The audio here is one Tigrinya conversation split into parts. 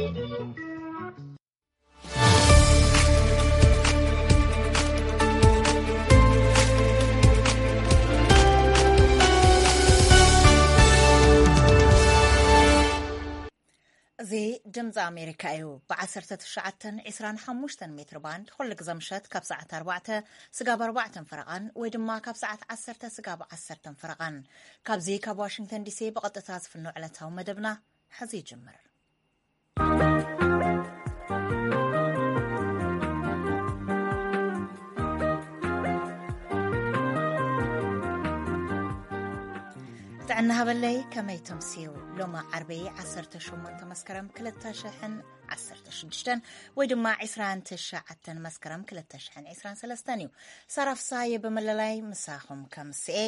እዚ ድምፂ ኣሜሪካ እዩ። ብ19 25 ሜትር ባንድ ኩሉ ግዜ ምሸት ካብ ሰዓት ኣርባዕተ ስጋብ ኣርባዕተን ፈረቓን ወይ ድማ ካብ ሰዓት ዓሰርተ ስጋብ ዓሰርተን ፈረቓን፣ ካብዚ ካብ ዋሽንግተን ዲሲ ብቐጥታ ዝፍኖ ዕለታዊ መደብና ሕዚ ይጅምር። ጥዕና ሃበለይ፣ ከመይ ተምስዩ? ሎሚ ዓርቢ ዓሰርተ ሸሞንተ መስከረም ክልተ ሽሕን ዓሰርተ ሽዱሽተን ወይ ድማ ዕስራን ትሽዓተን መስከረም ክልተ ሽሕን ዕስራን ሰለስተን እዩ። ሳራ ፍሳየ ብምልላይ ምሳኹም ከምስኤ።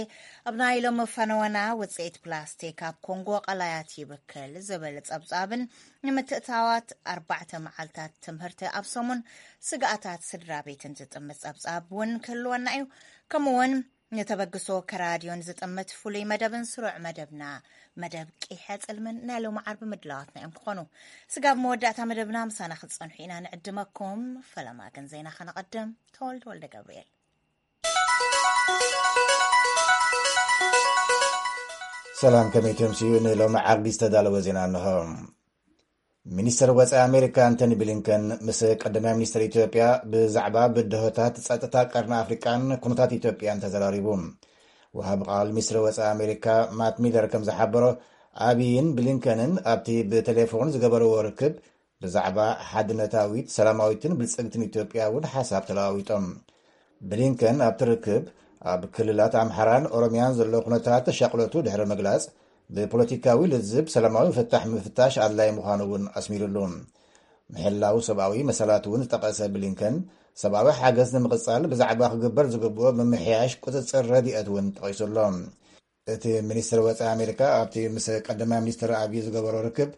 ኣብ ናይ ሎሚ ፈነወና፣ ውፅኢት ፕላስቲክ ኣብ ኮንጎ ቀላያት ይብክል ዝብል ጸብጻብን ንምትእትታዋት ኣርባዕተ መዓልታት ትምህርቲ ኣብ ሰሙን ስግኣታት ስድራ ቤትን ዝጥምት ጸብጻብ እውን ክህልወና እዩ። ከምኡውን ንተበግሶ ከራድዮን ዝጥምት ፍሉይ መደብን ስሩዕ መደብና፣ መደብ ቂሐ ጽልምን ናይ ሎሚ ዓርቢ ምድላዋትና እዮም ክኾኑ። ስጋብ መወዳእታ መደብና ምሳና ክትጸንሑ ኢና ንዕድመኩም። ፈለማ ግን ዜና ከነቐድም። ተወልደ ወልደ ገብርኤል። ሰላም፣ ከመይ ተምስዩ? ንሎሚ ዓርቢ ዝተዳለወ ዜና እንሆ። ሚኒስተር ወጻኢ ኣሜሪካ ኣንቶኒ ብሊንከን ምስ ቀዳማይ ሚኒስተር ኢትዮጵያ ብዛዕባ ብድሆታት ጸጥታ ቀርኒ ኣፍሪቃን ኩነታት ኢትዮጵያን ተዘራሪቡ። ወሃቢ ቃል ሚኒስትሪ ወጻኢ ኣሜሪካ ማት ሚለር ከም ዝሓበሮ፣ ኣቢይን ብሊንከንን ኣብቲ ብቴሌፎን ዝገበርዎ ርክብ ብዛዕባ ሓድነታዊት፣ ሰላማዊትን ብልጽግትን ኢትዮጵያ እውን ሓሳብ ተለዋዊጦም። ብሊንከን ኣብቲ ርክብ ኣብ ክልላት ኣምሓራን ኦሮሚያን ዘሎ ኩነታት ተሻቕሎቱ ድሕሪ ምግላጽ፣ ብፖለቲካዊ ልዝብ ሰላማዊ ፍታሕ ምፍታሽ ኣድላይ ምዃኑ እውን ኣስሚሩሉ። ምሕላው ሰብኣዊ መሰላት እውን ዝጠቐሰ ብሊንከን፣ ሰብኣዊ ሓገዝ ንምቕጻል ብዛዕባ ክግበር ዝግብኦ ምምሕያሽ ቁጽጽር ረድኤት እውን ጠቒሱሎ። እቲ ሚኒስትር ወጻኢ ኣሜሪካ ኣብቲ ምስ ቀዳማይ ሚኒስትር ኣቢይ ዝገበሮ ርክብ፣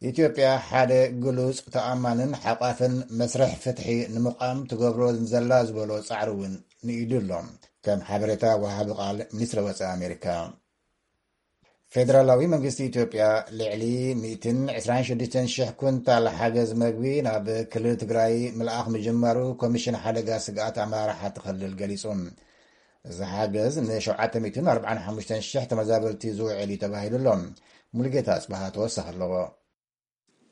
ኢትዮጵያ ሓደ ግሉጽ፣ ተኣማንን ሓቋፍን መስርሕ ፍትሒ ንምቋም ትገብሮ ዘላ ዝበሎ ጻዕሪ እውን ንኢዱ ኣሎ። ከም ሓበሬታ ወሃቢ ቃል ሚኒስትሪ ወጻኢ ኣሜሪካ፣ ፌደራላዊ መንግስቲ ኢትዮጵያ ልዕሊ ሚእትን ዕስራን ሽዱሽተን ሽሕ ኩንታል ሓገዝ መግቢ ናብ ክልል ትግራይ ምልኣኽ ምጅማሩ ኮሚሽን ሓደጋ ስግኣት ኣመራርሓ እቲ ክልል ገሊጹ። እዚ ሓገዝ ንሸውዓተ ሚእትን ኣርባዓን ሓሙሽተን ሽሕ ተመዛበልቲ ዝውዕል እዩ ተባሂሉ ኣሎ። ሙሉጌታ ኣጽብሃ ተወሳኺ ኣለዎ።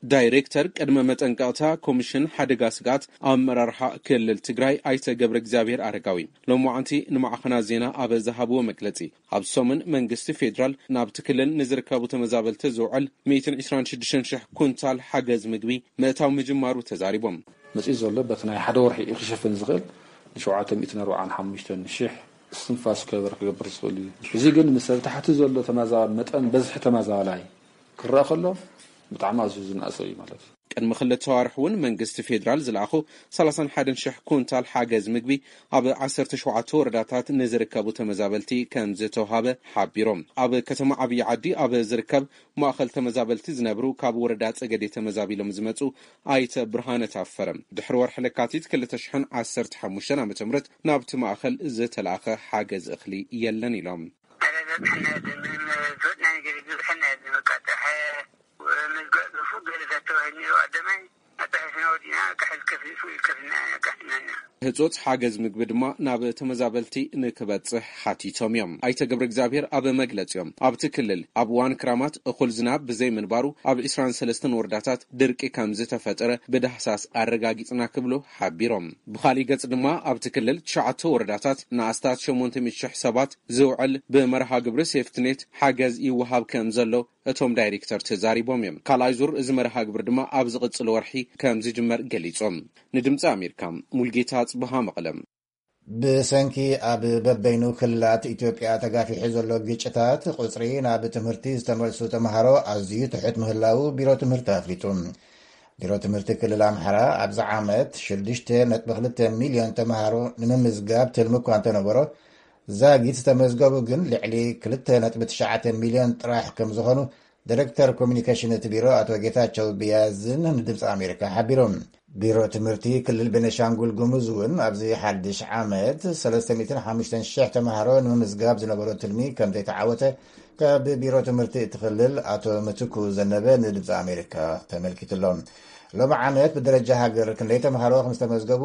ዳይሬክተር ቅድመ መጠንቀቕታ ኮሚሽን ሓደጋ ስግኣት ኣመራርሓ ክልል ትግራይ ኣይተ ገብረ እግዚኣብሔር ኣረጋዊ ሎማዓንቲ ንማዕኸናት ዜና ኣብ ዝሃብዎ መግለጺ፣ ኣብ ሰሙን መንግስቲ ፌዴራል ናብቲ ክልል ንዝርከቡ ተመዛበልቲ ዝውዕል ሚእትን ዕስራን ሽዱሽተን ሽሕ ኩንታል ሓገዝ ምግቢ ምእታው ምጅማሩ ተዛሪቦም። መጺኡ ዘሎ በቲ ናይ ሓደ ወርሒ እዩ ክሸፍን ዝኽእል፣ ንሸውዓተ ሚእትን ኣርባዓን ሓሙሽተን ሽሕ እስትንፋስ ከበር ክገብር ዝኽእል እዩ። እዚ ግን ምስ ኣብ ታሕቲ ዘሎ ተማዛ-፣ መጠን በዝሒ ተመዛባላይ ክረኣ ከሎ ብጣዕሚ ኣዝዩ ዝነኣሰ እዩ ማለት እዩ። ቅድሚ ክልተ ኣዋርሕ እውን መንግስቲ ፌዴራል ዝለኣኹ ሰላሳን ሓደን ሽሕ ኩንታል ሓገዝ ምግቢ ኣብ ዓሰርተ ሸውዓተ ወረዳታት ንዝርከቡ ተመዛበልቲ ከም ዝተውሃበ ሓቢሮም። ኣብ ከተማ ዓብዪ ዓዲ ኣብ ዝርከብ ማእኸል ተመዛበልቲ ዝነብሩ ካብ ወረዳ ጸገዴ ተመዛቢሎም ዝመጹ ኣይተ ብርሃነ ታፈረ፣ ድሕሪ ወርሒ ለካቲት ክልተ ሽሕን ዓሰርተ ሓሙሽተን ዓመተ ምህረት ናብቲ ማእኸል ዝተላእኸ ሓገዝ እኽሊ የለን ኢሎም። ኣረ፣ ዘብሐና የለን፣ ዝወድና ነገር የለን፣ ዘብሐና የለን። በቃ፣ ጥራሕ መዝገብ ገለ ተባሂሉ ነይሩ፣ ቀዳማይ ኣጣሒስና ወዲና፣ ካሕል ከፊ-፣ ፉል ከፊልና፣ ካሕልና። ህጹጽ ሓገዝ ምግቢ ድማ ናብ ተመዛበልቲ ንክበጽሕ ሓቲቶም እዮም። ኣይተ ገብረ እግዚኣብሔር ኣብ መግለጺኦም፣ ኣብቲ ክልል ኣብ እዋን ክራማት እኹል ዝናብ ብዘይምንባሩ፣ ኣብ ዕስራን ሰለስተን ወረዳታት ድርቂ ከም ዝተፈጠረ ብዳህሳስ ኣረጋጊጽና ክብሉ ሓቢሮም። ብኻሊእ ገጽ ድማ፣ ኣብቲ ክልል ትሽዓተ ወረዳታት ንኣስታት ሸሞንተ ሚእቲ ሽሕ ሰባት ዝውዕል ብመርሃ ግብሪ ሴፍትኔት ሓገዝ ይወሃብ ከም ዘሎ እቶም ዳይሬክተር ተዛሪቦም እዮም። ካልኣይ ዙር እዚ መርሃ ግብሪ ድማ ኣብ ዝቕጽል ወርሒ ከም ዝጅመር ገሊጾም። ንድምፂ ኣሜሪካ፣ ሙልጌታ ጽብሃ፣ መቐለ። ብሰንኪ ኣብ በበይኑ ክልላት ኢትዮጵያ ተጋፊሑ ዘሎ ግጭታት፣ ቁጽሪ ናብ ትምህርቲ ዝተመልሱ ተምሃሮ ኣዝዩ ትሑት ምህላዉ ቢሮ ትምህርቲ ኣፍሊጡ። ቢሮ ትምህርቲ ክልል ኣምሓራ፣ ኣብዚ ዓመት ሽዱሽተ ነጥቢ ክልተ ሚልዮን ተምሃሮ ንምምዝጋብ ትልሚ እኳ እንተነበሮ፣ ዛጊት ዝተመዝገቡ ግን ልዕሊ ክልተ ነጥቢ ትሽዓተ ሚልዮን ጥራሕ ከም ዝኾኑ ዳይሬክተር ኮሚኒኬሽን እቲ ቢሮ ኣቶ ጌታቸው ብያዝን ንድምፂ ኣሜሪካ ሓቢሮም። ቢሮ ትምህርቲ ክልል ቤኒሻንጉል ጉሙዝ እውን ኣብዚ ሓድሽ ዓመት ሰለስተ ሚእትን ሓሙሽተን ሽሕ ተምሃሮ ንምምዝጋብ ዝነበሮ ትልሚ ከም ዘይተዓወተ ካብ ቢሮ ትምህርቲ እቲ ክልል ኣቶ ምትኩ ዘነበ ንድምፂ ኣሜሪካ ተመልኪትሎም። ሎሚ ዓመት ብደረጃ ሃገር ክንደይ ተምሃሮ ከም ዝተመዝገቡ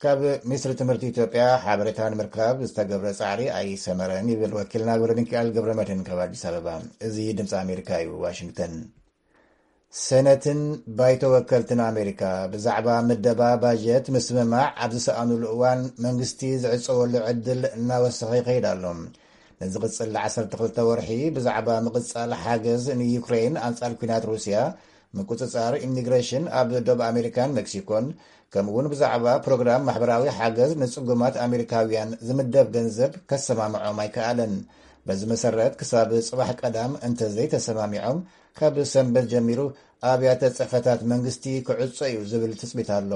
ካብ ሚኒስትሪ ትምህርቲ ኢትዮጵያ ሓበሬታ ንምርካብ ዝተገብረ ፃዕሪ ኣይሰመረን ይብል ወኪልና ገብረ ሚካኤል ገብረ መድህን ካብ ኣዲስ ኣበባ። እዚ ድምፂ ኣሜሪካ እዩ። ዋሽንግተን። ሰነትን ባይቶ ወከልትን ኣሜሪካ ብዛዕባ ምደባ ባጀት ምስምማዕ ኣብ ዝሰኣኑሉ እዋን መንግስቲ ዝዕፀወሉ ዕድል እናወሰኸ ይኸይድ ኣሎ። ንዝቕፅል ዓሰርተ ክልተ ወርሒ ብዛዕባ ምቕፃል ሓገዝ ንዩክሬን ኣንፃር ኲናት ሩስያ፣ ምቁፅፃር ኢሚግሬሽን ኣብ ደቡብ ኣሜሪካን ሜክሲኮን፣ ከምኡ እውን ብዛዕባ ፕሮግራም ማሕበራዊ ሓገዝ ንፅጉማት ኣሜሪካውያን ዝምደብ ገንዘብ ከሰማምዖም ኣይከኣለን። በዚ መሰረት ክሳብ ፅባሕ ቀዳም እንተዘይተሰማሚዖም ካብ ሰንበት ጀሚሩ ኣብያተ ፅሕፈታት መንግስቲ ክዕጾ እዩ ዝብል ትፅቢት ኣሎ።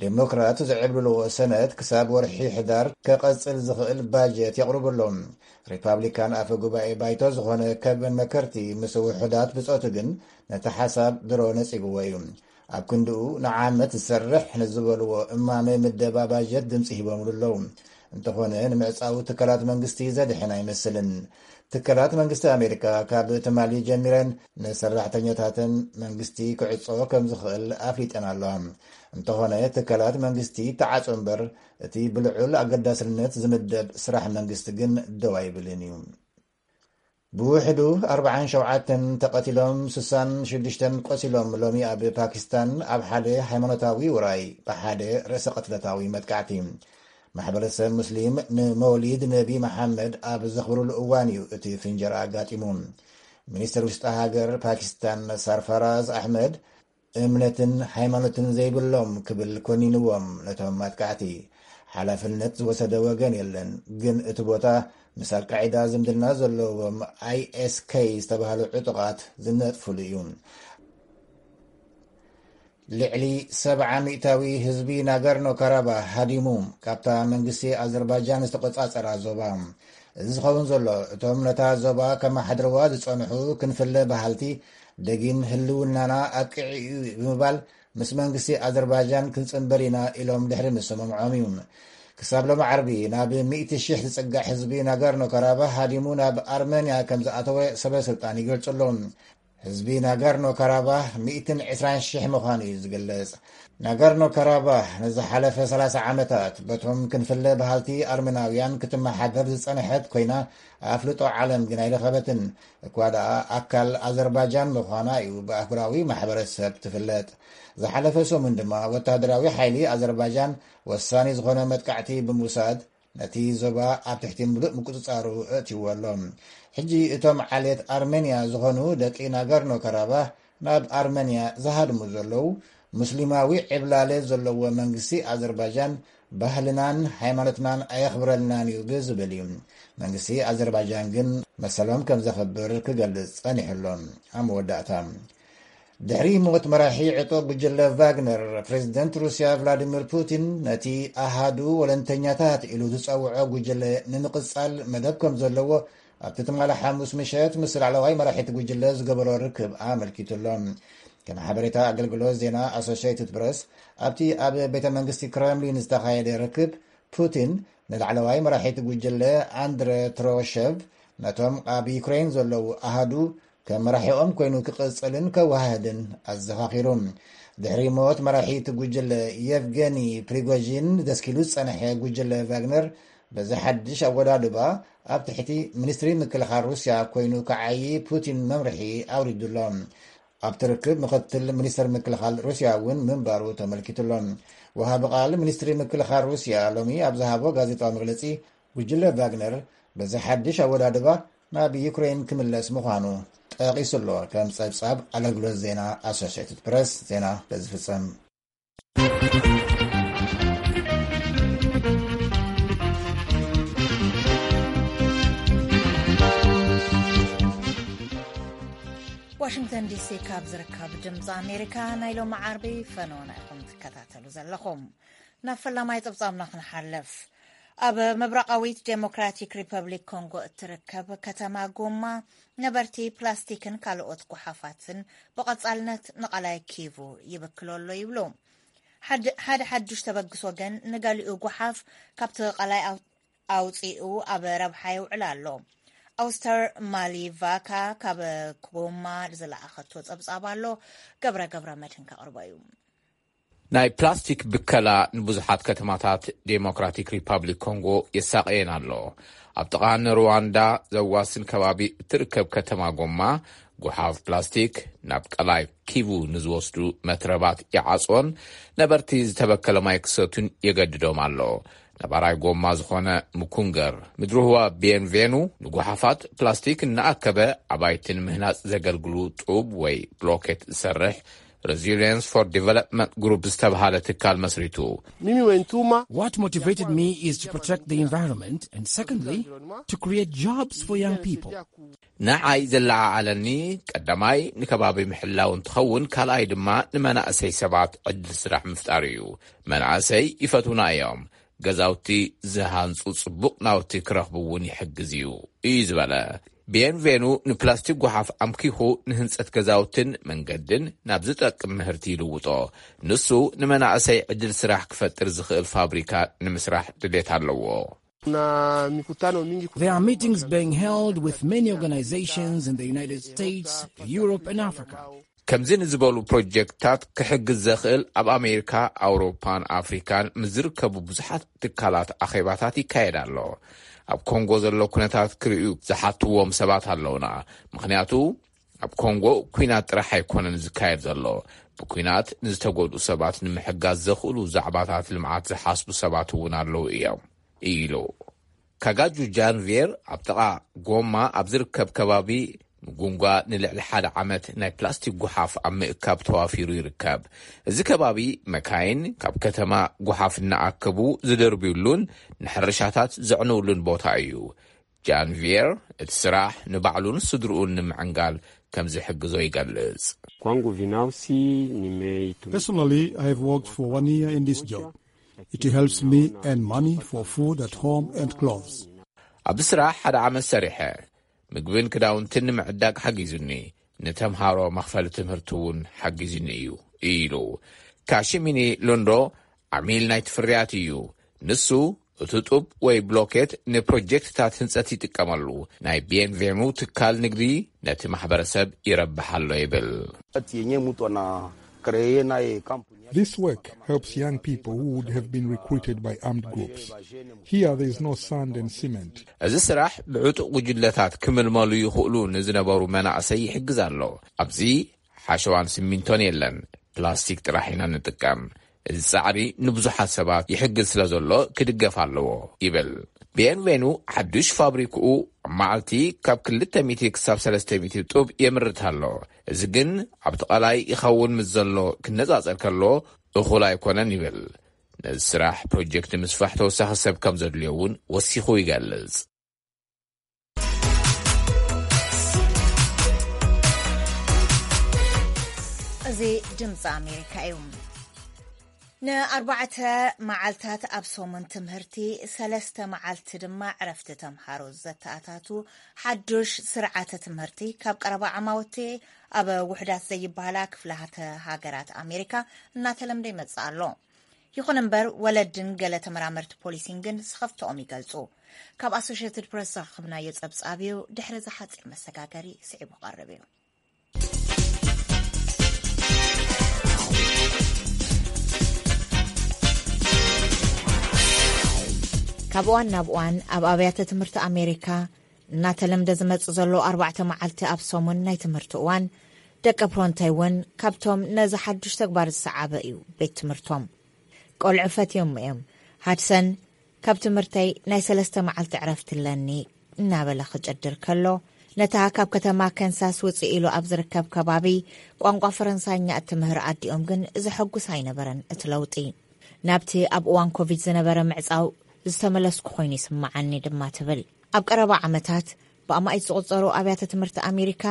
ዴሞክራት ዝዕብልልዎ ሰነት ክሳብ ወርሒ ሕዳር ከቐጽል ዝኽእል ባጀት የቕርቡ ኣሎ። ሪፓብሊካን ኣፈ ጉባኤ ባይቶ ዝኾነ ከቨን መከርቲ ምስ ውሑዳት ብጾቱ ግን ነቲ ሓሳብ ድሮ ነጺግዎ እዩ። ኣብ ክንድኡ ንዓመት ዝሰርሕ ንዝበልዎ እማመ ምደባ ባጀት ድምፂ ሂቦምሉ ኣለዉ። እንተኾነ ንምዕፃው ትካላት መንግስቲ ዘድሕን ኣይመስልን። ትካላት መንግስቲ ኣሜሪካ ካብ ትማሊ ጀሚረን ንሰራሕተኛታተን መንግስቲ ክዕጾ ከም ዝኽእል ኣፍሊጠን ኣለዋ። እንተኾነ ትካላት መንግስቲ ተዓጾ እምበር እቲ ብልዑል ኣገዳስነት ዝምደብ ስራሕ መንግስቲ ግን ደው ኣይብልን እዩ። ብውሕዱ ኣርብዓን ሸውዓተን ተቐቲሎም ስሳን ሽዱሽተን ቆሲሎም ሎሚ ኣብ ፓኪስታን ኣብ ሓደ ሃይማኖታዊ ውራይ ብሓደ ርእሰ ቅትለታዊ መጥቃዕቲ። ማሕበረሰብ ሙስሊም ንመውሊድ ነቢ መሓመድ ኣብ ዘኽብሩሉ እዋን እዩ እቲ ፍንጀራ ኣጋጢሙ። ሚኒስትር ውሽጢ ሃገር ፓኪስታን ሳርፋራዝ ኣሕመድ እምነትን ሃይማኖትን ዘይብሎም ክብል ኮኒንዎም ነቶም ኣጥቃዕቲ። ሓላፍነት ዝወሰደ ወገን የለን፣ ግን እቲ ቦታ ምስ ኣልቃዒዳ ዝምድና ዘለዎም ኣይኤስኬ ዝተባህሉ ዕጡቓት ዝነጥፍሉ እዩ። ልዕሊ ሰብዓ ሚእታዊ ህዝቢ ናጋርኖ ካራባህ ሃዲሙ ካብታ መንግስቲ ኣዘርባጃን ዝተቆጻጸራ ዞባ። እዚ ዝኸውን ዘሎ እቶም ነታ ዞባ ከመሓድርዋ ዝጸንሑ ክንፍለ በሃልቲ ደጊም ህልውናና ኣጥቂዑ እዩ ብምባል ምስ መንግስቲ ኣዘርባጃን ክንጽንበር ኢና ኢሎም ድሕሪ ምስምምዖም እዩ። ክሳብ ሎሚ ዓርቢ ናብ ሚእቲ ሺሕ ዝጽጋዕ ህዝቢ ናጋርኖ ካራባህ ሃዲሙ ናብ ኣርመንያ ከም ዝኣተወ ሰበ ስልጣን ይገልጹ ኣለዉ። ህዝቢ ናጋርኖ ካራባህ ሚእትን ዕስራን ሺሕ ምዃኑ እዩ ዝግለጽ። ናጋርኖ ካራባህ ንዝሓለፈ ሰላሳ ዓመታት በቶም ክንፍለ በሃልቲ ኣርመናውያን ክትመሓደር ዝጸንሐት ኮይና ኣፍልጦ ዓለም ግን ኣይረኸበትን። እኳ ደኣ ኣካል ኣዘርባጃን ምዃና እዩ ብኣህጉራዊ ማሕበረሰብ ትፍለጥ። ዝሓለፈ ሰሙን ድማ ወታደራዊ ሓይሊ ኣዘርባጃን ወሳኒ ዝኾነ መጥቃዕቲ ብምውሳድ ነቲ ዞባ ኣብ ትሕቲ ምሉእ ምቁጽጻሩ ኣእትይዎ ኣሎ። ሕጂ እቶም ዓሌት ኣርመንያ ዝኾኑ ደቂ ናጋርኖ ካራባህ ናብ ኣርመንያ ዝሃድሙ ዘለዉ፣ ሙስሊማዊ ዕብላለ ዘለዎ መንግስቲ ኣዘርባጃን ባህልናን ሃይማኖትናን ኣየኽብረልናን እዩ ብዝብል እዩ። መንግስቲ ኣዘርባጃን ግን መሰሎም ከም ዘኽብር ክገልጽ ጸኒሑ ኣሎ። ኣብ መወዳእታ፣ ድሕሪ ሞት መራሒ ዕጡቕ ጉጅለ ቫግነር፣ ፕሬዚደንት ሩስያ ቭላዲሚር ፑቲን ነቲ ኣሃዱ ወለንተኛታት ኢሉ ዝጸውዖ ጉጅለ ንምቕጻል መደብ ከም ዘለዎ ኣብቲ ትማሊ ሓሙስ ምሸት ምስ ላዕለዋይ መራሒቲ ጉጅለ ዝገበሮ ርክብ ኣመልኪቱ ኣሎ። ከም ሓበሬታ ኣገልግሎት ዜና ኣሶሽየትድ ፕረስ፣ ኣብቲ ኣብ ቤተ መንግስቲ ክረምሊን ዝተኻየደ ርክብ፣ ፑቲን ንላዕለዋይ መራሒቲ ጉጅለ ኣንድረ ትሮሸቭ ነቶም ኣብ ዩክሬን ዘለዉ ኣሃዱ ከም መራሒኦም ኮይኑ ክቕጽልን ከወሃህድን ኣዘኻኺሩ። ድሕሪ ሞት መራሒ እቲ ጉጅለ የቭገኒ ፕሪጎዥን ደስኪሉ ዝጸንሐ ጉጅለ ቫግነር በዚ ሓድሽ ኣወዳድባ ኣብ ትሕቲ ሚኒስትሪ ምክልኻል ሩስያ ኮይኑ ክዓዪ ፑቲን መምርሒ ኣውሪዱሎ። ኣብቲ ርክብ ምኽትል ሚኒስትር ምክልኻል ሩስያ እውን ምንባሩ ተመልኪቱሎ። ወሃቢ ቃል ሚኒስትሪ ምክልኻል ሩስያ ሎሚ ኣብ ዝሃቦ ጋዜጣዊ መግለጺ፣ ጉጅለ ቫግነር በዚ ሓድሽ ኣወዳድባ ናብ ዩክሬን ክምለስ ምዃኑ ጠቒሱ ኣሎ። ከም ጸብጻብ ኣገልግሎት ዜና ኣሶሽየትድ ፕረስ፣ ዜና በዚ ፍጸም። ዋሽንግተን ዲሲ ካብ ዝርከብ ድምፂ ኣሜሪካ ናይ ሎሚ ዓርቢ ፈነወና ኢኹም ትከታተሉ ዘለኹም። ናብ ፈላማይ ጸብጻብና ክንሓልፍ። ኣብ ምብራቓዊት ዴሞክራቲክ ሪፐብሊክ ኮንጎ እትርከብ ከተማ ጎማ ነበርቲ ፕላስቲክን ካልኦት ጓሓፋትን ብቐጻልነት ንቓላይ ኪቩ ይብክሎ ኣሎ ይብሉ። ሓደ ሓደ ሓዱሽ ተበግሶ ግን ንገሊኡ ጓሓፍ ካብቲ ቓላይ ኣው- ኣውጺኡ ኣብ ረብሓ የውዕል ኣሎ። ኣውስተር ማሊቫካ ካብ ጎማ ዝለኣኸቶ ጸብጻብ ኣሎ። ገብረ ገብረ መድህን ከቕርቦ እዩ። ናይ ፕላስቲክ ብከላ ንብዙሓት ከተማታት ዴሞክራቲክ ሪፓብሊክ ኮንጎ የሳቐየን ኣሎ። ኣብ ጥቓ ንሩዋንዳ ዘዋስን ከባቢ እትርከብ ከተማ ጎማ፣ ጎሓፍ ፕላስቲክ ናብ ቀላይ ኪቡ ንዝወስዱ መትረባት ይዓጽዎን ነበርቲ ዝተበከለ ማይ ክሰቱን የገድዶም ኣሎ። ነባራይ ጎማ ዝኾነ ምኩንገር ምድርህዋ ቤንቬኑ፣ ንጎሓፋት ፕላስቲክ እናኣከበ ኣባይቲ ንምህናጽ ዘገልግሉ ጡብ ወይ ብሎኬት ዝሰርሕ Resilience for Development Group ዝተብሃለ ትካል መስሪቱ። What motivated me is to protect the environment and, secondly, to create jobs for young people. ንዓይ ዘለዓዓለኒ፣ ቀዳማይ ንከባቢ ምሕላው እንትኸውን፣ ካልኣይ ድማ ንመናእሰይ ሰባት ዕድል ስራሕ ምፍጣር እዩ። መናእሰይ ይፈትውና እዮም። ገዛውቲ ዝሃንጹ ጽቡቕ ናውቲ ክረኽቡ እውን ይሕግዝ እዩ፣ እዩ ዝበለ። ቤንቬኑ ንፕላስቲክ ጓሓፍ ኣምኪኹ ንህንጸት ገዛውትን መንገድን ናብ ዝጠቅም ምህርቲ ይልውጦ። ንሱ ንመናእሰይ ዕድል ስራሕ ክፈጥር ዝኽእል ፋብሪካ ንምስራሕ ድሌት ኣለዎ። There are meetings being held with many organizations in the United States, Europe, and Africa. ከምዚ ንዝበሉ ፕሮጀክትታት ክሕግዝ ዘኽእል ኣብ ኣሜሪካ፣ ኣውሮፓን ኣፍሪካን ምስ ዝርከቡ ብዙሓት ትካላት ኣኼባታት ይካየድ ኣሎ። ኣብ ኮንጎ ዘሎ ኩነታት ክርእዩ ዝሓትዎም ሰባት ኣለውና። ምኽንያቱ ኣብ ኮንጎ ኲናት ጥራሕ ኣይኮነን ዝካየድ ዘሎ። ብኲናት ንዝተጎድኡ ሰባት ንምሕጋዝ ዘኽእሉ ዛዕባታት ልምዓት ዝሓስቡ ሰባት እውን ኣለዉ እዮም፣ ኢሉ። ካጋጁ ጃንቬር ኣብ ጥቓ ጎማ ኣብ ዝርከብ ከባቢ ምጉንጓ ንልዕሊ ሓደ ዓመት ናይ ፕላስቲክ ጓሓፍ ኣብ ምእካብ ተዋፊሩ ይርከብ። እዚ ከባቢ መካይን ካብ ከተማ ጓሓፍ እናኣከቡ ዝደርብዩሉን ንሕርሻታት ዘዕንውሉን ቦታ እዩ። ጃንቪየር እቲ ስራሕ ንባዕሉን ስድርኡን ንምዕንጋል ከም ዝሕግዞ ይገልጽ። Kwangu binafsi nimeitumia Personally, I have worked for one year in this job. It helps me earn money for food at home and clothes. ኣብዚ ስራሕ ሓደ ዓመት ሰሪሐ፣ ምግብን ክዳውንትን ንምዕዳግ ሓጊዙኒ፣ ንተምሃሮ መኽፈሊ ትምህርቲ እውን ሓጊዙኒ እዩ፣ ኢሉ። ካሽሚኒ ሎንዶ ዓሚል ናይቲ ፍርያት እዩ። ንሱ እቲ ጡብ ወይ ብሎኬት ንፕሮጀክትታት ህንጸት ይጥቀመሉ። ናይ ቤንቬኑ ትካል ንግዲ ነቲ ማሕበረሰብ ይረብሕ ኣሎ ይብል። Wakati yenyewe mtu ana kreye naye kampuni yake. This work helps young people who would have been recruited by armed groups. Here there is no sand and cement. እዚ ስራሕ ብዕጡቕ ጉጅለታት ክምልመሉ ይኽእሉ ንዝነበሩ መናእሰይ ይሕግዝ ኣሎ። ኣብዚ ሓሸዋን ሲሚንቶን የለን፣ ፕላስቲክ ጥራሕ ኢና ንጥቀም። እዚ ጻዕሪ ንብዙሓት ሰባት ይሕግዝ ስለ ዘሎ ክድገፍ ኣለዎ፣ ይብል። ቤንቬኑ ሓዱሽ ፋብሪክኡ ኣብ መዓልቲ ካብ ክልተ ሚእቲ ክሳብ ሰለስተ ሚእቲ ጡብ የምርት ኣሎ። እዚ ግን ኣብቲ ቐላይ ይኸውን ምስ ዘሎ ክነጻጸር ከሎ እኹል ኣይኮነን፣ ይብል። ነዚ ስራሕ ፕሮጀክት ምስፋሕ ተወሳኺ ሰብ ከም ዘድልዮ እውን ወሲኹ ይገልጽ። እዚ ድምፂ ኣሜሪካ እዩ። ንኣርባዕተ መዓልታት ኣብ ሰሙን ትምህርቲ፣ ሰለስተ መዓልቲ ድማ ዕረፍቲ ተምሃሮ ዘተኣታቱ ሓዱሽ ስርዓተ ትምህርቲ ካብ ቀረባ ዓማውቲ ኣብ ውሕዳት ዘይበሃላ ክፍላተ ሃገራት ኣሜሪካ እናተለምደ ይመጽእ ኣሎ። ይኹን እምበር፣ ወለድን ገለ ተመራመርቲ ፖሊሲን ግን ስኸፍትኦም ይገልጹ። ካብ ኣሶሽየትድ ፕረስ ዝረኸብናዮ ጸብጻብ እዩ፣ ድሕሪ እዚ ሓጺር መሰጋገሪ ስዒቡ ክቐርብ እዩ። ካብ እዋን ናብ እዋን ኣብ ኣብያተ ትምህርቲ ኣሜሪካ እናተለምደ ዝመጽእ ዘሎ ኣርባዕተ መዓልቲ ኣብ ሰሙን ናይ ትምህርቲ እዋን፣ ደቂ ፕሮንታይ እውን ካብቶም ነዚ ሓዱሽ ተግባር ዝሰዓበ እዩ ቤት ትምህርቶም። ቆልዑ ፈትዮሞ እዮም። ሃድሰን ካብ ትምህርተይ ናይ ሰለስተ መዓልቲ ዕረፍቲ ኣለኒ እናበለ ክጭድር ከሎ፣ ነታ ካብ ከተማ ከንሳስ ውፅእ ኢሉ ኣብ ዝርከብ ከባቢ ቋንቋ ፈረንሳኛ እትምህር ኣዲኦም ግን ዘሐጉስ ኣይነበረን እቲ ለውጢ። ናብቲ ኣብ እዋን ኮቪድ ዝነበረ ምዕፃው ዝተመለስኩ ኮይኑ ይስምዓኒ ድማ ትብል። ኣብ ቀረባ ዓመታት ብኣማኢት ዝቑጸሩ ኣብያተ ትምህርቲ ኣሜሪካ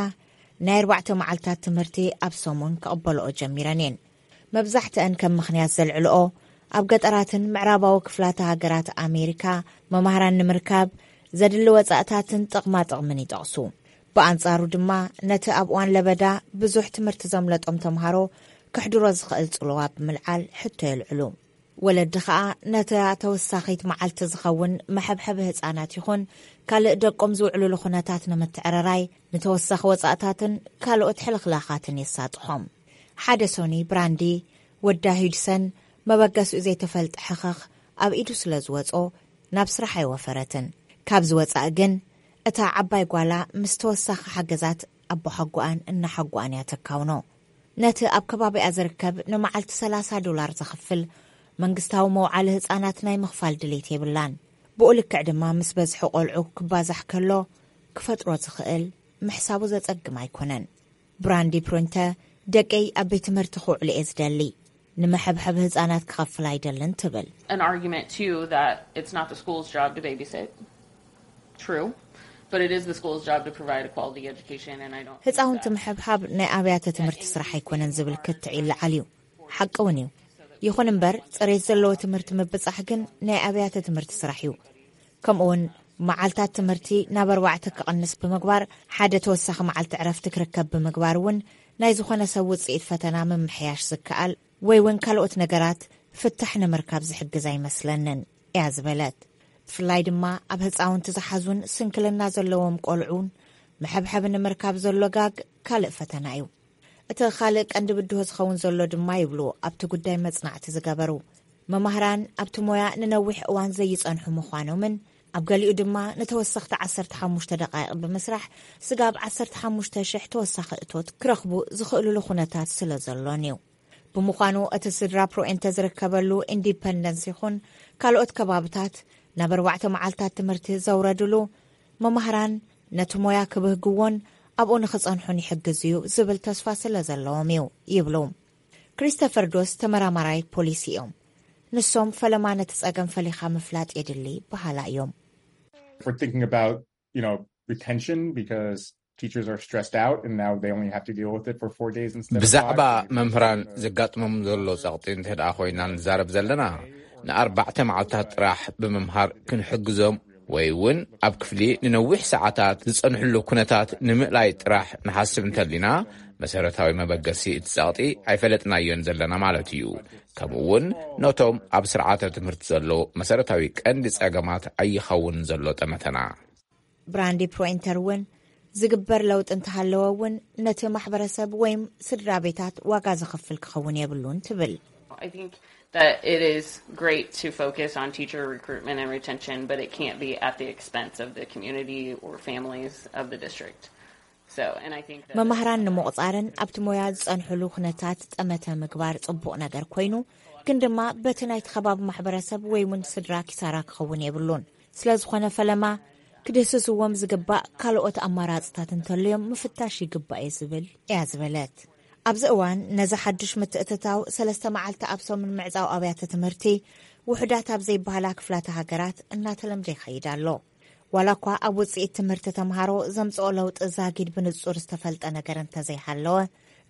ናይ ኣርባዕተ መዓልታት ትምህርቲ ኣብ ሰሙን ክቕበልኦ ጀሚረን እየን። መብዛሕትአን ከም ምኽንያት ዘልዕልኦ፣ ኣብ ገጠራትን ምዕራባዊ ክፍላተ ሃገራት ኣሜሪካ መማህራን ንምርካብ ዘድሊ ወጻእታትን ጥቕማ ጥቕምን ይጠቕሱ። ብኣንጻሩ ድማ፣ ነቲ ኣብ እዋን ለበዳ ብዙሕ ትምህርቲ ዘምለጦም ተምሃሮ ክሕድሮ ዝኽእል ጽልዋ ብምልዓል ሕቶ የልዕሉ። ወለዲ ኸኣ ነታ ተወሳኺት መዓልቲ ዝኸውን መሐብሐቢ ህጻናት ይኹን ካልእ ደቆም ዝውዕሉሉ ኩነታት ንምትዕርራይ ንተወሳኺ ወጻእታትን ካልኦት ሕልኽላኻትን የሳጥሖም። ሓደ ሶኒ ብራንዲ ወዳ ሂድሰን መበገሲኡ ዘይተፈልጠ ሕኸኽ ኣብ ኢዱ ስለ ዝወጾ ናብ ስራሕ ኣይወፈረትን። ካብ ዝወጻእ ግን እታ ዓባይ ጓላ ምስ ተወሳኺ ሓገዛት ኣቦሓጎኣን እናሓጎኣን እያ ተካውኖ። ነቲ ኣብ ከባቢኣ ዝርከብ ንመዓልቲ ሰላሳ ዶላር ዘኽፍል መንግስታዊ መውዓሊ ህጻናት ናይ ምኽፋል ድሌት የብላን። ብኡ ልክዕ ድማ ምስ በዝሒ ቆልዑ ክባዛሕ ከሎ ክፈጥሮ ዝኽእል ምሕሳቡ ዘጸግም ኣይኮነን። ብራንዲ ፕሮንተ ደቀይ ኣብ ቤት ትምህርቲ ክውዕሉ እየ ዝደሊ፣ ንመሐብሐብ ህጻናት ክኸፍል ኣይደልን ትብል። An argument too that it's not the school's job to babysit. True, but it is the school's job to provide a quality education, and I don't. ህጻውንቲ ምሕብሓብ ናይ ኣብያተ ትምህርቲ ስራሕ ኣይኮነን ዝብል ክትዕ ይለዓል እዩ። ሓቂ እውን እዩ። ይኹን እምበር ጽሬት ዘለዎ ትምህርቲ ምብጻሕ ግን ናይ ኣብያተ ትምህርቲ ስራሕ እዩ። ከምኡውን መዓልታት ትምህርቲ ናብ ኣርባዕተ ክቕንስ ብምግባር ሓደ ተወሳኺ መዓልቲ ዕረፍቲ ክርከብ ብምግባር እውን ናይ ዝኾነ ሰብ ውጽኢት ፈተና ምምሕያሽ ዝከኣል ወይ እውን ካልኦት ነገራት ፍታሕ ንምርካብ ዝሕግዝ ኣይመስለንን እያ ዝበለት። ብፍላይ ድማ ኣብ ህፃውንቲ ዝሓዙን ስንክልና ዘለዎም ቆልዑን መሐብሐቢ ንምርካብ ዘሎ ጋግ ካልእ ፈተና እዩ። እቲ ካልእ ቀንዲ ብድሆ ዝኸውን ዘሎ ድማ ይብሉ ኣብቲ ጉዳይ መጽናዕቲ ዝገበሩ መማህራን፣ ኣብቲ ሞያ ንነዊሕ እዋን ዘይጸንሑ ምዃኖምን ኣብ ገሊኡ ድማ ንተወሰኽቲ ዓሰርተ ሓሙሽተ ደቃይቕ ብምስራሕ ስጋብ ዓሰርተ ሓሙሽተ ሽሕ ተወሳኺ እቶት ክረኽቡ ዝኽእሉሉ ኩነታት ስለ ዘሎን እዩ። ብምዃኑ እቲ ስድራ ፕሮኤንተ ዝርከበሉ ኢንዲፐንደንስ ይኹን ካልኦት ከባብታት ናብ ኣርባዕተ መዓልታት ትምህርቲ ዘውረድሉ መማህራን ነቲ ሞያ ክብህግዎን ኣብኡ ንኽጸንሑን ይሕግዝ እዩ ዝብል ተስፋ ስለ ዘለዎም እዩ ይብሉ። ክሪስተፈር ዶስ ተመራማራይ ፖሊሲ እዮም። ንሶም ፈለማ ነቲ ጸገም ፈሊኻ ምፍላጥ የድሊ በሃላ እዮም። We're thinking about, you know, retention because teachers are stressed out and now they only have to deal with it for four days instead of ብዛዕባ five. መምህራን ዘጋጥሞም ዘሎ ጸቕጢ እንተ ደኣ ኮይና ንዛረብ ዘለና ንኣርባዕተ መዓልታት ጥራሕ ብምምሃር ክንሕግዞም ወይ እውን ኣብ ክፍሊ ንነዊሕ ሰዓታት ዝጸንሕሉ ኩነታት ንምእላይ ጥራሕ ንሓስብ እንተሊና መሰረታዊ መበገሲ እቲ ጸቕጢ ኣይፈለጥናዮን ዘለና ማለት እዩ። ከምኡ እውን ነቶም ኣብ ስርዓተ ትምህርቲ ዘሎ መሰረታዊ ቀንዲ ጸገማት ኣይኸውን ዘሎ ጠመተና። ብራንዲ ፕሮኢንተር እውን ዝግበር ለውጢ እንተሃለወ እውን ነቲ ማሕበረሰብ ወይም ስድራ ቤታት ዋጋ ዘኽፍል ክኸውን የብሉን ትብል። I think that it is great to focus on teacher recruitment and retention, but it can't be at the expense of the community or families of the district. So, and I think that መማህራን ንምቑጻርን ኣብቲ ሞያ ዝጸንሕሉ ኩነታት ጠመተ ምግባር ጽቡቕ ነገር ኮይኑ፣ ግን ድማ በቲ ናይቲ ከባቢ ማሕበረሰብ ወይ እውን ስድራ ኪሳራ ክኸውን የብሉን። ስለ ዝኾነ ፈለማ ክድህስስዎም ዝግባእ ካልኦት ኣማራጽታት እንተልዮም ምፍታሽ ይግባእ እየ ዝብል እያ ዝበለት። ኣብዚ እዋን ነዚ ሓዱሽ ምትእትታው ሰለስተ መዓልቲ ኣብ ሰሙን ምዕጻው ኣብያተ ትምህርቲ ውሑዳት ኣብ ዘይበሃላ ክፍላተ ሃገራት እናተለምደ ይኸይድ ኣሎ። ዋላ እኳ ኣብ ውጽኢት ትምህርቲ ተምሃሮ ዘምጽኦ ለውጢ ዛጊድ ብንጹር ዝተፈልጠ ነገር እንተዘይሃለወ፣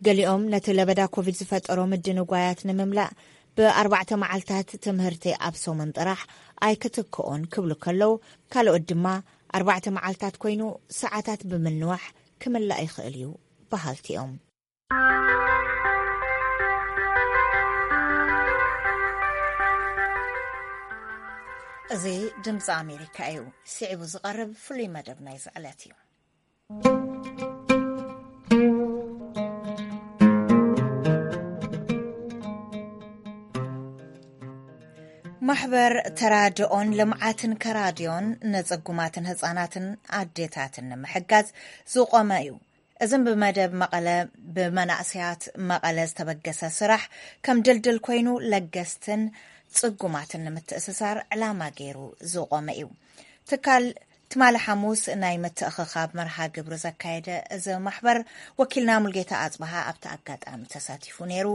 ገሊኦም ነቲ ለበዳ ኮቪድ ዝፈጠሮ ምድንጓያት ንምምላእ ብኣርባዕተ መዓልታት ትምህርቲ ኣብ ሰሙን ጥራሕ ኣይክትክኦን ክብሉ ከለዉ፣ ካልኦት ድማ ኣርባዕተ መዓልታት ኮይኑ ሰዓታት ብምንዋሕ ክምላእ ይኽእል እዩ በሃልቲ እዮም። እዚ ድምፂ ኣሜሪካ እዩ። ስዒቡ ዝቐርብ ፍሉይ መደብ ናይዚ ዕለት እዩ። ማሕበር ተራድኦን ልምዓትን ከራድዮን ንጽጉማትን ህጻናትን ኣዴታትን ንምሕጋዝ ዝቖመ እዩ። እዝም ብመደብ መቐለ ብመናእሰያት መቐለ ዝተበገሰ ስራሕ ከም ድልድል ኮይኑ ለገስትን ጽጉማትን ንምትእስሳር ዕላማ ገይሩ ዝቖመ እዩ። ትካል ትማሊ ሓሙስ ናይ ምትእኽኻብ መርሃ ግብሪ ዘካየደ እዚ ማሕበር ወኪልና ሙልጌታ ኣጽብሃ ኣብቲ ኣጋጣሚ ተሳቲፉ ነይሩ።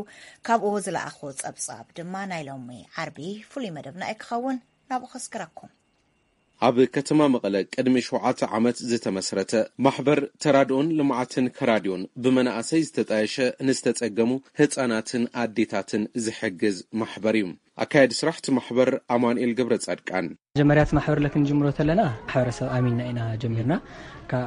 ካብኡ ዝለኣኾ ጸብጻብ ድማ ናይ ሎሚ ዓርቢ ፍሉይ መደብና እዩ ክኸውን። ናብኡ ከስግረኩም። ኣብ ከተማ መቐለ ቅድሚ ሸውዓተ ዓመት ዝተመስረተ ማሕበር ተራድኦን ልምዓትን ከራድዮን ብመናእሰይ ዝተጣየሸ ንዝተጸገሙ ህጻናትን ኣዴታትን ዝሕግዝ ማሕበር እዩ። ኣካየዲ ስራሕ እቲ ማሕበር ኣማኑኤል ገብረ ጻድቃን። መጀመርያ እቲ ማሕበር ለክንጅምሮ ተለና ማሕበረሰብ ኣሚንና ኢና ጀሚርና።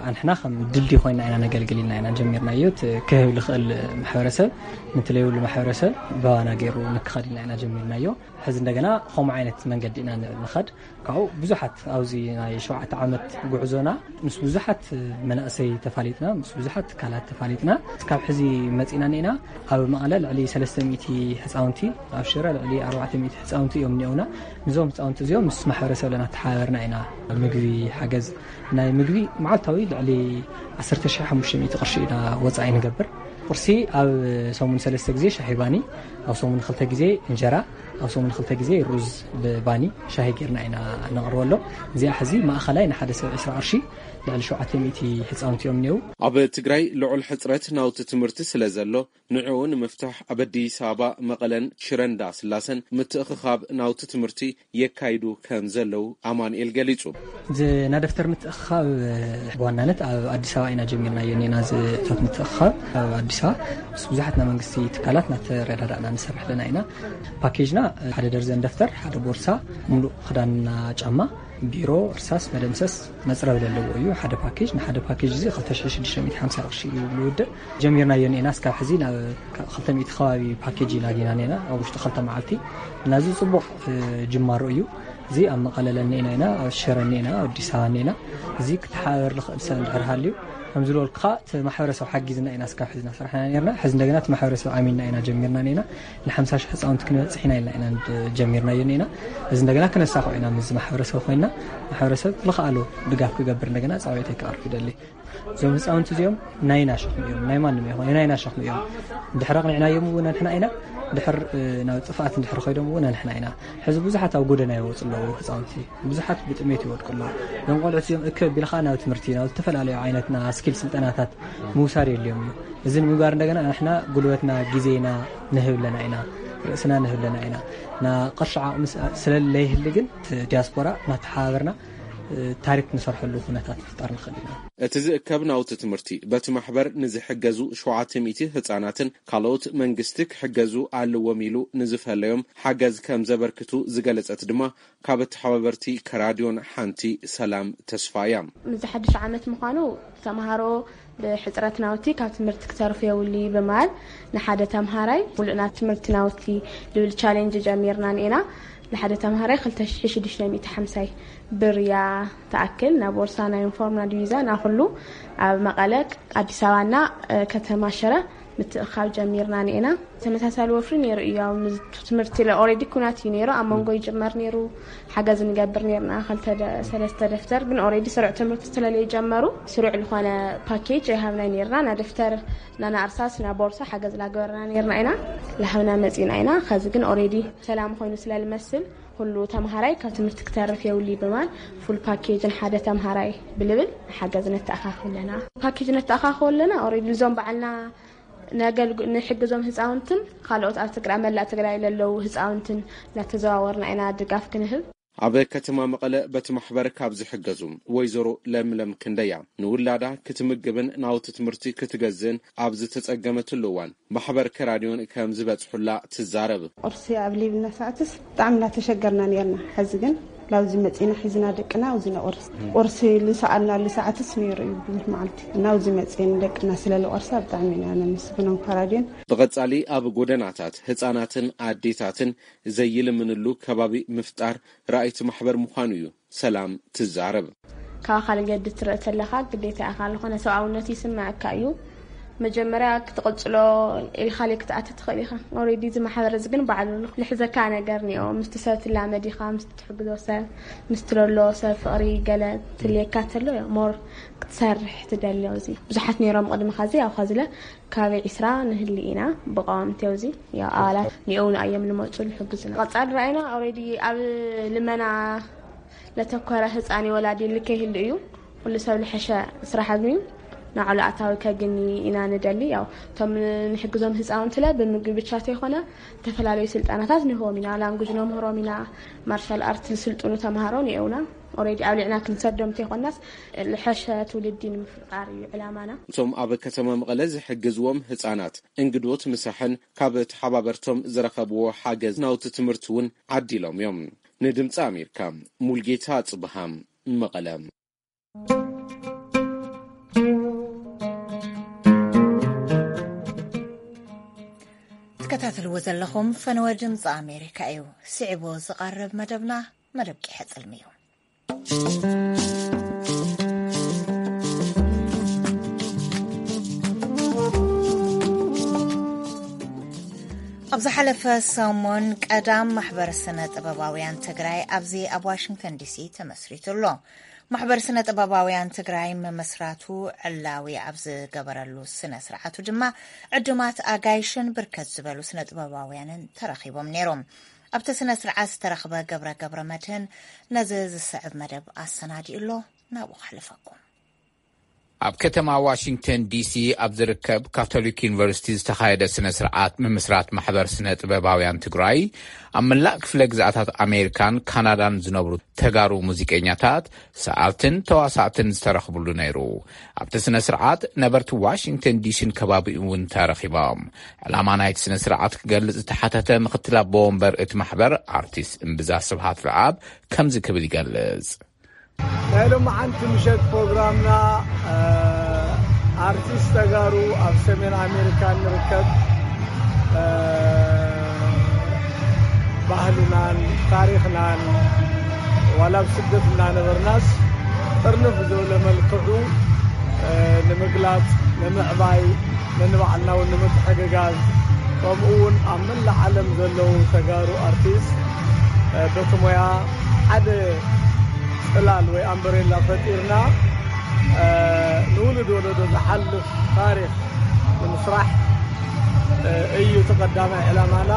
ኣንሕና ከም ድልድይ ኮይና ኢና ነገልግል ኢልና ኢና ጀሚርናዮ። ክህብ ዝኽእል ማሕበረሰብ፣ ንትለይብሉ ማሕበረሰብ ባባና ገይሩ ንክኸድ ኢልና ኢና ጀሚርናዮ። ሕዚ እንደገና ከምኡ ዓይነት መንገዲ ኢና ንኸድ። ካብኡ ብዙሓት ኣብዚ ናይ ሸውዓተ ዓመት ጉዕዞና ምስ ብዙሓት መናእሰይ ተፋሊጥና፣ ምስ ብዙሓት ትካላት ተፋሊጥና። ካብ ሕዚ መፂና እኒና ኣብ መቐለ ልዕሊ ሰለስተ ሚእቲ ህፃውንቲ፣ ኣብ ሽረ ልዕሊ ኣርባዕተ ሚእቲ ህፃውንቲ እዮም እኒኦና። ንዞም ህፃውንቲ እዚኦም ምስ ማሕበረሰብ ለና ተሓባበርና ኢና ምግቢ ሓገዝ ናይ ምግቢ መዓልታዊ ልዕሊ ዓሰርተ ሺሕ ሓሙሽተ ሚእቲ ቅርሺ ኢና ወፃኢ ንገብር። ቁርሲ ኣብ ሰሙን ሰለስተ ግዜ ሻሂ ባኒ፣ ኣብ ሰሙን ክልተ ግዜ እንጀራ፣ ኣብ ሰሙን ክልተ ግዜ ሩዝ ብባኒ ሻሂ ጌርና ኢና ነቕርበሎም። እዚኣ ሕዚ ማእኸላይ ንሓደ ሰብ ዕስራ ቅርሺ ልዕሊ ሸውዓተ ሚእቲ ህፃውንቲ እዮም እኒው። ኣብ ትግራይ ልዑል ሕፅረት ናውቲ ትምህርቲ ስለ ዘሎ ንዕኡ ንምፍታሕ ኣብ ኣዲስ ኣበባ፣ መቐለን ሽረንዳ ስላሰን ምትእኽኻብ ናውቲ ትምህርቲ የካይዱ ከም ዘለዉ ኣማኑኤል ገሊጹ። ዝናደፍተር ምትእኽኻብ ብዋናነት ኣብ ኣዲስ ኣበባ ኢና ጀሚርናዮ። ኔና ዝእቶት ምትእኽኻብ ኣብ ኣዲስ ኣበባ ምስ ብዙሓት ናይ መንግስቲ ትካላት እናተረዳዳእና ንሰርሕ ኣለና ኢና። ፓኬጅና ሓደ ደርዘን ደፍተር፣ ሓደ ቦርሳ፣ ሙሉእ ክዳንና፣ ጫማ፣ ቢሮ፣ እርሳስ፣ መደምሰስ፣ መፅረብ ዘለዎ እዩ። ሓደ ፓኬጅ፣ ንሓደ ፓኬጅ እዚ ክልተ ሽሕ ሽዱሽተ ሚእቲ ሓምሳ ቅርሺ እዩ ዝውድእ። ጀሚርናዮ ኔና እስካብ ሕዚ ናብ ክልተ ሚእቲ ከባቢ ፓኬጅ ኢና ዲና ኔና ኣብ ውሽጢ ክልተ መዓልቲ። እና እዚ ፅቡቕ ጅማሮ እዩ። እዚ ኣብ መቐለ ለኒኤና ኢና፣ ኣብ ሽረ እኒኤና፣ ኣብ ኣዲስ ኣበባ እኒኤና። እዚ ክተሓባበር ዝኽእል ሰብ እንድሕር ሃልዩ፣ ከም ዝበልኩኻ እቲ ማሕበረሰብ ሓጊዝና ኢና እስካብ ሕዚ እናሰራሕና ኔርና። ሕዚ እንደገና እቲ ማሕበረሰብ ኣሚንና ኢና ጀሚርና ኔና። ንሓምሳ ሺሕ ህፃውንቲ ክንበፅሕ ኢና ኢልና ኢና ጀሚርናዮ ኔና። እዚ እንደገና ክነሳኽዖ ኢና ምስ ማሕበረሰብ ኮይና፣ ማሕበረሰብ ዝኸኣሎ ድጋፍ ክገብር እንደገና ፃውዒተይ ከቕርብ ይደሊ። እዞም ህፃውንቲ እዚኦም ናይና ሸኽሚ እዮም፣ ናይ ማንም ይኹን ናይና ሸኽሚ እዮም። ድሕሪ ኣቕኒዕናዮም እውን ኣንሕና ኢና፣ ድሕር ናብ ጥፍኣት እንድሕር ኮይዶም እውን ኣንሕና ኢና። ሕዚ ብዙሓት ኣብ ጎደና ይወፁ ኣለዉ ህፃውንቲ፣ ብዙሓት ብጥሜት ይወድቁ ኣለዉ። እዞም ቆልዑት እዚኦም እክብ ቢልካ ናብ ትምህርቲ ናብ ዝተፈላለዩ ዓይነትና ስኪል ስልጠናታት ምውሳድ የድልዮም እዩ። እዚ ንምግባር እንደገና ንሕና ጉልበትና ግዜና ንህብ ኣለና ኢና፣ ርእስና ንህብ ኣለና ኢና። ና ቅርሺ ዓቕሚ ስለለይህሊ ግን ዲያስፖራ እናተሓባበርና ታሪክ ንሰርሐሉ ኩነታት ምፍጣር ንኽእል ኢና። እቲ ዝእከብ ናውቲ ትምህርቲ በቲ ማሕበር ንዝሕገዙ ሸውዓተ ሚእቲ ህፃናትን ካልኦት መንግስቲ ክሕገዙ ኣለዎም ኢሉ ንዝፈለዮም ሓገዝ ከም ዘበርክቱ ዝገለፀት ድማ ካብ ተሓባበርቲ ከራድዮን ሓንቲ ሰላም ተስፋ እያ። እዚ ሓድሽ ዓመት ምዃኑ ተምሃሮ ብሕፅረት ናውቲ ካብ ትምህርቲ ክተርፉ የብሉ ብምባል ንሓደ ተምሃራይ ሙሉእና ትምህርቲ ናውቲ ዝብል ቻሌንጅ ጀሚርና ኔና። ንሓደ ተምሃራይ ክልተ ሽሕ ሽዱሽተ ሚእቲ ሓምሳይ ብር እያ ትኣክል። ናብ ቦርሳ፣ ናይ ዩኒፎርም፣ ናብ ዲቪዛ፣ ናብ ኩሉ ኣብ መቐለ፣ ኣዲስ ኣበባና ከተማ ሽረ ምትእኻብ ጀሚርና ኔና። ተመሳሳሊ ወፍሪ ነይሩ እዩ። ያው ትምህርቲ ለ ኦልሬዲ ኩናት እዩ ነይሩ። ኣብ መንጎ ይጅመር ነይሩ፣ ሓገዝ ንገብር ነይርና። ክልተ ደ- ሰለስተ ደፍተር ግን ኦልሬዲ ስሩዕ ትምህርቲ ስለለይጀመሩ ስሩዕ ዝኾነ ፓኬጅ ኣይሃብናይ ነይርና። ና ደፍተር ና ና እርሳስ ና ቦርሳ ሓገዝ ላገበርና ነይርና ኢና። ላሃብና መፂና ኢና። ከዚ ግን ኦልሬዲ ሰላም ኮይኑ ስለልመስል ኩሉ ተምሃራይ ካብ ትምህርቲ ክተርፍ የውሊ ብማል ፉል ፓኬጅ ንሓደ ተምሃራይ ብልብል ሓገዝ ነተኣኻኽብ ኣለና። ፓኬጅ ነተኣኻኽብ ኣለና። ኦልሬዲ እዞም በዓልና ነገልግ- ንሕግዞም ህፃውንትን ካልኦት ኣብ ትግራይ መላእ ትግራይ ለለዉ ህፃውንትን እናተዘዋወርና ኢና ድጋፍ ክንህብ። ኣብ ከተማ መቐለ በቲ ማሕበር ካብ ዝሕገዙ ወይዘሮ ለምለም ክንደያ ንውላዳ ክትምግብን ናውቲ ትምህርቲ ክትገዝእን ኣብ ዝተፀገመትሉ እዋን ማሕበር ከራድዮን ከም ዝበፅሑላ ትዛረብ። ቁርሲ ኣብ ሊብና ሰዓትስ ብጣዕሚ እናተሸገርና ነርና። ሕዚ ግን ላብዚ መፂና ሒዝና ደቅና ኣብዚ ነቑርስ። ቁርሲ ልሰኣልና ልሰዓትስ ነይሩ እዩ ብዙሕ መዓልቲ። ናብዚ መፂን ደቅና ስለ ልቆርሳ ብጣዕሚ ኢና ነመስግኖም ከራድዮን። ብቐጻሊ ኣብ ጎደናታት ህፃናትን ኣዴታትን ዘይልምንሉ ከባቢ ምፍጣር ራእይቲ ማሕበር ምዃኑ እዩ ሰላም ትዛረብ። ካብ ኣካል ገዲ ትርኢ ተለኻ ግዴታ ኢኻ፣ ዝኾነ ሰብኣውነት ይስምዐካ እዩ። መጀመርያ ክትቕጽሎ ኢልካ ለይ ክትኣቲ ትኽእል ኢኻ። ኦልሬዲ እዚ ማሕበር እዚ ግን ባዕሉ ልሕዘካ ነገር እኒኦ። ምስቲ ሰብ ትላመድ ኢኻ፣ ምስቲ ትሕግዞ ሰብ፣ ምስቲ ለሎ ሰብ ፍቕሪ ገለ ትልየካ ተሎ ሞር ክትሰርሕ ትደሊ። እዚ ብዙሓት ነይሮም ቅድሚ ኻዚ፣ ኣብ ኻዚ ለ ካብ ዒስራ ንህሊ ኢና ብቐዋምቲ ኣብዚ ያው ኣባላት ኒኦውን ኣዮም ልመፁ ልሕግዙና። ቀፃሊ ራእይና ኦልሬዲ ኣብ ልመና ለተኮረ ህፃን ወላዲ ልከ ይህሉ እዩ። ኩሉ ሰብ ልሐሸ ስራሕ ኣግንዩ ናዕሉ ኣታዊ ከግኒ ኢና ንደሊ። ያው እቶም ንሕግዞም ህፃውንቲ ለ ብምግቢ ብቻ ተይኮነ ዝተፈላለዩ ስልጠናታት ንህቦም ኢና። ላንጉጅ ነምህሮም ኢና። ማርሻል ኣርት ዝስልጥኑ ተምሃሮ ኒኦውና። ኦሬዲ ኣብሊዕና ክንሰዶም እንተይኮናስ፣ ልሐሸ ትውልዲ ንምፍጣር እዩ ዕላማና። እቶም ኣብ ከተማ መቐለ ዝሕግዝዎም ህፃናት እንግዶት ምሳሕን ካብ ተሓባበርቶም ዝረኸብዎ ሓገዝ ናውቲ ትምህርቲ እውን ዓዲሎም እዮም። ንድምፂ ኣሜሪካ፣ ሙልጌታ ጽብሃ፣ መቐለ። ትከታተልዎ ዘለኹም ፈነወ ድምፂ ኣሜሪካ እዩ። ስዒቡ ዝቐርብ መደብና መደብ ቂሐ ጽልሚ እዩ። ኣብ ዝሓለፈ ሰሙን ቀዳም ማሕበር ስነ ጥበባውያን ትግራይ ኣብዚ ኣብ ዋሽንግተን ዲሲ ተመስሪቱ ኣሎ። ማሕበር ስነ ጥበባውያን ትግራይ ምምስራቱ ዕላዊ ኣብ ዝገበረሉ ስነ ስርዓቱ ድማ ዕዱማት ኣጋይሽን ብርከት ዝበሉ ስነ ጥበባውያንን ተረኺቦም ነይሮም። ኣብቲ ስነ ስርዓት ዝተረኽበ ገብረ ገብረ መድህን ነዚ ዝስዕብ መደብ ኣሰናዲኡ ኣሎ። ናብኡ ከሕልፈኩም። ኣብ ከተማ ዋሽንግተን ዲሲ ኣብ ዝርከብ ካቶሊክ ዩኒቨርሲቲ ዝተኻየደ ስነ ስርዓት ምምስራት ማሕበር ስነ ጥበባውያን ትግራይ ኣብ መላእ ክፍለ ግዝኣታት ኣሜሪካን ካናዳን ዝነብሩ ተጋሩ ሙዚቀኛታት፣ ሰኣልትን ተዋሳእትን ዝተረኽብሉ ነይሩ። ኣብቲ ስነ ስርዓት ነበርቲ ዋሽንግተን ዲሲን ከባቢኡ እውን ተረኺቦም። ዕላማ ናይቲ ስነ ስርዓት ክገልጽ ዝተሓተተ ምክትል ኣቦ ወንበር እቲ ማሕበር ኣርቲስት እምብዛ ስብሃት ለኣብ ከምዚ ክብል ይገልጽ። ናይ ሎማዓንቲ ምሸት ፕሮግራምና፣ እ፣ ኣርቲስት ተጋሩ ኣብ ሰሜን ኣሜሪካ ንርከብ፣ እ፣ ባህልናን ታሪኽናን ዋላ ኣብ ስደት እናነበርናስ ጥርንፍ ብዝበለ መልክዑ፣ እ፣ ንምግላጽ፣ ንምዕባይ፣ ነንባዕልና እውን ንምትሕግጋዝ፣ ከምኡ እውን ኣብ መላእ ዓለም ዘለዉ ተጋሩ ኣርቲስት፣ እ፣ በቲ ሞያ ሓደ ጽላል ወይ ኣምበሬላ ፈጢርና፣ እ፣ ንውሉድ ወለዶ ዝሓልፍ ታሪኽ ንምስራሕ፣ እ፣ እዩ እቲ ቀዳማይ ዕላማና።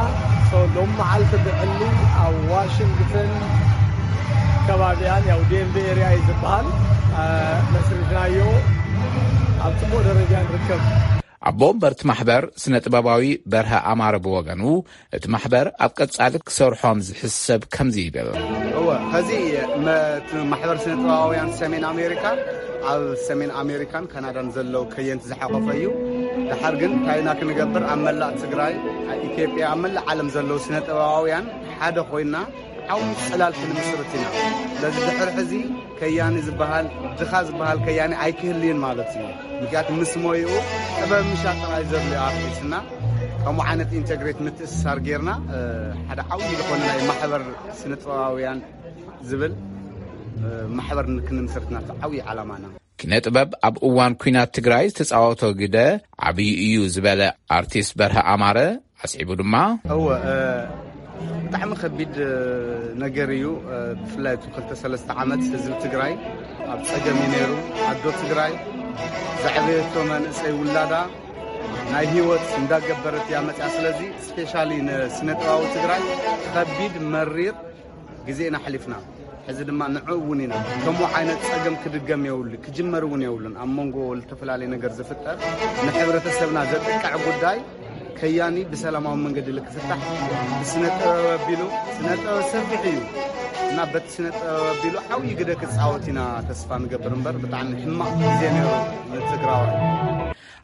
ሶ፣ ሎም መዓልቲ ብዕሊ ኣብ ዋሽንግተን ከባቢኣን፣ ያው ዴንቨር ኤርያ እዩ ዝበሃል፣ እ፣ መስሪትናዮ። ኣብ ጽቡቕ ደረጃ ንርከብ። ኣቦ ወንበር እቲ ማሕበር ስነ ጥበባዊ በርሀ ኣማረ ብወገኑ፣ እቲ ማሕበር ኣብ ቀጻሊ ክሰርሖም ዝሕሰብ ከምዚ ይብል። እወ፣ ኸዚ መ-፣ እቲ ማሕበር ስነ ጥበባውያን ሰሜን ኣሜሪካ ኣብ ሰሜን ኣሜሪካን ካናዳን ዘለዉ ከየንቲ ዝሓቆፈ እዩ። ድሓር ግን እንታይ ኢና ክንገብር፣ ኣብ መላእ ትግራይ፣ ኣብ ኢትዮጵያ፣ ኣብ መላእ ዓለም ዘለዉ ስነ ጥበባውያን ሓደ ኮይና ዓው ጽላል ክንምስርት ኢና። ስለዚ ድሕሪ ሕዚ ከያኒ ዝበሃል፣ ድኻ ዝበሃል ከያኒ ኣይክህልይን ማለት እዩ። ምክንያቱ ምስ ሞይኡ ጥበብ ምሻጥ ጥራይ ዘድልዮ ኣርቲስትና ከምኡ ዓይነት ኢንተግሬት ምትእስሳር ጌርና፣ እ፣ ሓደ ዓብዪ ዝኾነ ናይ ማሕበር ስነ ጥበባውያን ዝብል፣ እ፣ ማሕበር ክንምስርትና ዓብዪ ዓላማና። ኪነ ጥበብ ኣብ እዋን ኲናት ትግራይ ዝተጻወቶ ግደ ዓብዪ እዩ ዝበለ ኣርቲስት በርሀ ኣማረ ኣስዒቡ ድማ፣ እወ፣ እ፣ ብጣዕሚ ከቢድ፣ እ፣ ነገር እዩ። እ፣ ብፍላይ እቲ ክልተ ሰለስተ ዓመት ህዝቢ ትግራይ ኣብ ጸገም እዩ ነይሩ። ኣዶ ትግራይ ዘዕበየቶ መንእሰይ ውላዳ ናይ ህይወት እንዳገበረት እያ መጽያ። ስለዚ ስፔሻሊ ንስነ ጥበባዊ ትግራይ ከቢድ መሪር ግዜ ኢና ኣሕሊፍና። ሕዚ ድማ ንዕኡ እውን ኢና። ከምኡ ዓይነት ጸገም ክድገም የብሉ፣ ክጅመር እውን የብሉን። ኣብ መንጎ ዝተፈላለዩ ነገር ዝፍጠር ንሕብረተሰብና ዘጥቅዕ ጉዳይ ከያኒ ብሰላማዊ መንገዲ ልክፍታሕ ብስነ ጥበብ ኣቢሉ፣ ስነ ጥበብ ሰፊሕ እዩ እና በቲ ስነ ጥበብ ኣቢሉ ዓብዪ ግደ ክጻወት ኢና ተስፋ ንገብር እምበር ብጣዕሚ ሕማቕ ግዜ ነይሩ ንትግራዋይ።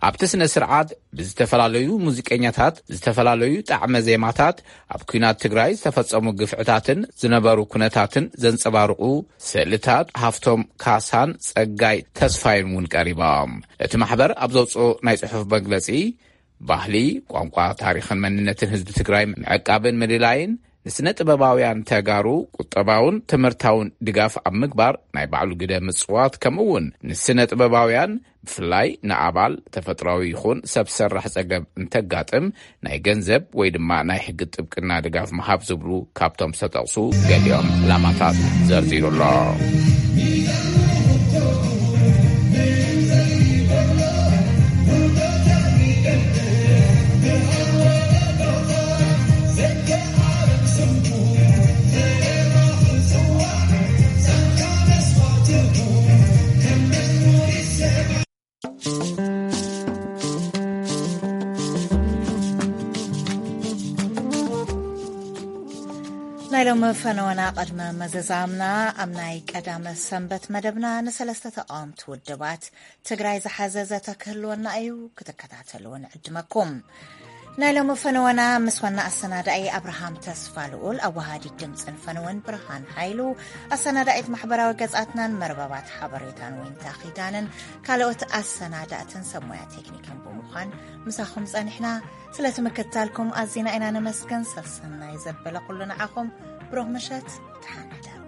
ኣብቲ ስነ ስርዓት ብዝተፈላለዩ ሙዚቀኛታት ዝተፈላለዩ ጣዕመ ዜማታት ኣብ ኲናት ትግራይ ዝተፈጸሙ ግፍዕታትን ዝነበሩ ኩነታትን ዘንጸባርቑ ስእልታት ሃፍቶም ካሳን ጸጋይ ተስፋይን እውን ቀሪቦም። እቲ ማሕበር ኣብ ዘውፅኦ ናይ ጽሑፍ መግለጺ፣ ባህሊ፣ ቋንቋ፣ ታሪኽን መንነትን ህዝቢ ትግራይ ምዕቃብን ምልላይን ንስነ ጥበባውያን ተጋሩ ቁጠባውን ትምህርታውን ድጋፍ ኣብ ምግባር ናይ ባዕሉ ግደ ምጽዋት፣ ከምኡ እውን ንስነ ጥበባውያን ብፍላይ ንኣባል ተፈጥራዊ ይኹን ሰብ ሰራሕ ጸገም እንተጋጥም ናይ ገንዘብ ወይ ድማ ናይ ሕጊ ጥብቅና ድጋፍ ምሃብ ዝብሉ ካብቶም ዝተጠቕሱ ገሊኦም ዕላማታት ዘርዚሩ ኣሎ። ናይ ሎሚ ፈነወና ቅድመ መዘዛምና ኣብ ናይ ቀዳመ ሰንበት መደብና ንሰለስተ ተቃወምቲ ውድባት ትግራይ ዝሓዘ ዘተ ክህልወና እዩ። ክትከታተልዎ ንዕድመኩም። ናይ ሎሚ ፈነወና ምስ ዋና ኣሰናዳኢ ኣብርሃም ተስፋ ልኡል፣ ኣወሃዲት ድምፅን ፈነወን ብርሃን ሓይሉ፣ ኣሰናዳኢት ማሕበራዊ ገጻትናን መርበባት ሓበሬታን ወይንታ ኪዳንን ካልኦት ኣሰናዳእትን ሰብ ሞያ ቴክኒክን ብምዃን ምሳኹም ጸኒሕና። ስለቲ ምክትታልኩም ኣዚና ኢና ነመስግን። ሰሰናይ ዘበለ ኩሉ ንዓኹም። ብሩኽ ምሸት። ተሓንሕዳ።